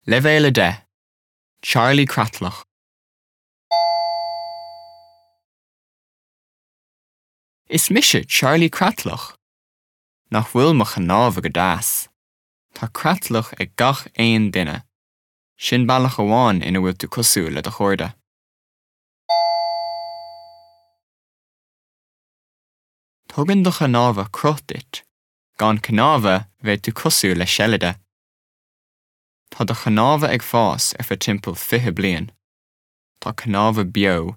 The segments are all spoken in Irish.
Leibhéal 10, Charlie Creatlach. Is mise Charlie Creatlach. Nach bhfuil mo chnámha go deas? Tá creatlach ag gach aon duine. Sin bealach amháin ina bhfuil tú cosúil le do chairde. Tugann do chnámha cruth duit. Gan cnámha, bheadh tú cosúil le seilide. Tá do chnámha ag fás ar feadh timpeall 20 bliain. Tá cnámha beo,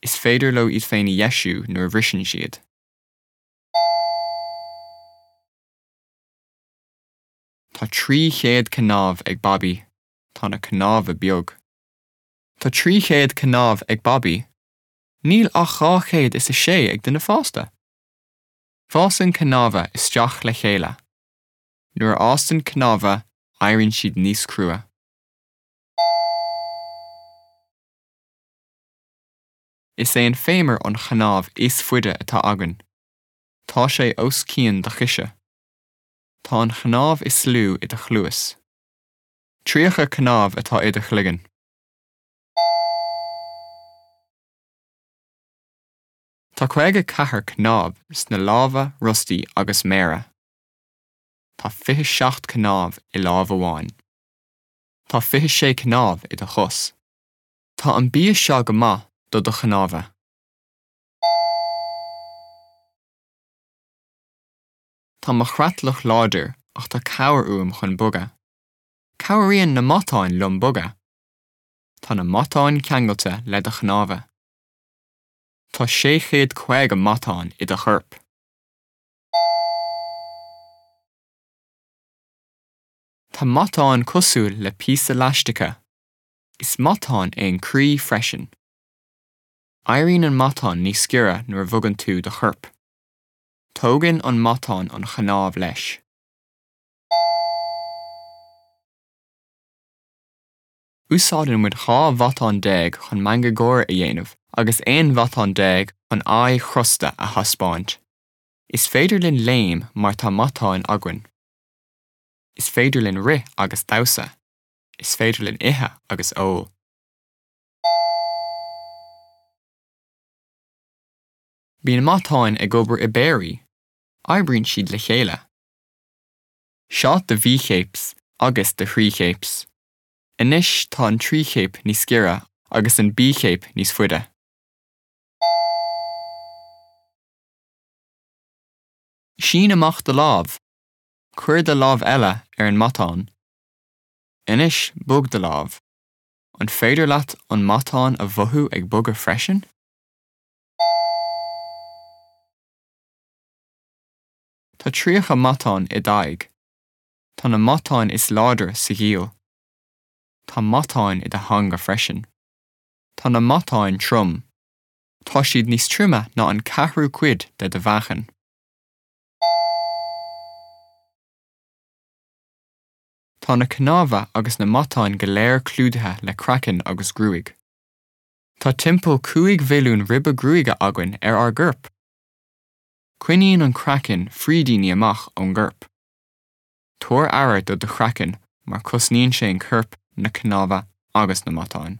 is féidir leo iad féin a dheisiú nuair a bhriseann siad. Tá 300 cnámh ag Babaí. Tá na cnámha beag. Tá 300 cnámh ag Babaí. Níl ach 206 ag duine fásta. Fásann cnámha isteach le chéile. Nuair a fhásann cnámha, éiríonn siad níos crua. Is é an féimear an chnámh is faide atá againn. Tá sé os cionn do choise. Tá an chnámh is lú i do chluas. 30 cnámh atá i do chloigeann. Tá 54 cnámh sna lámha, rostaí agus méara. Tá 27 cnámh i lámh amháin. Tá 26 cnámh i do chos. Tá an bia seo go maith do do chnámha. Tá mo chreatlach láidir ach tá cabhair uaim chun bogadh. Cabhraíonn na matáin liom bogadh. Tá na matáin ceangailte le do chnámha. Tá 650 matán i do chorp. Tá matán cosúil le píosa leaistice. Is matán é an croí freisin. Éiríonn an matán níos giorra nuair a bhogann tú do chorp. Tógann an matán an chnámh leis. Úsáideann muid 12 mhatán chun meangadh gáire a dhéanamh agus 11 mhatán chun aghaidh chrosta a thaispeáint. Is féidir linn léim mar tá matáin againn. Is féidir linn rith agus damhsa. Is féidir linn ithe agus ól. Bíonn matáin ag obair i bpéirí. Oibríonn siad le chéile. Seo do bhícéaps agus do thrícéaps. Anois tá an trícéap níos giorra agus an bícéap níos faide. Sín amach do lámh. Cuir do lámh eile ar an matán. Anois bog do lámh. An féidir leat an matán a mhothú ag bogadh freisin? Tá 30 matán i d'aghaidh. Tá na matáin is láidre sa ghiall. Tá matáin i do theanga freisin. Tá na matáin trom. Tá siad níos troime ná an ceathrú cuid de do mheáchan. Tá na cnámha agus na matáin go léir clúdaithe le craiceann agus gruaig. Tá timpeall 5 mhilliún ribe gruaige againn ar ár gcorp. Coinníonn an craiceann frídíní amach ón gcorp. Tabhair aire do do chraiceann mar cosnaíonn sé an corp, na cnámha agus na matáin.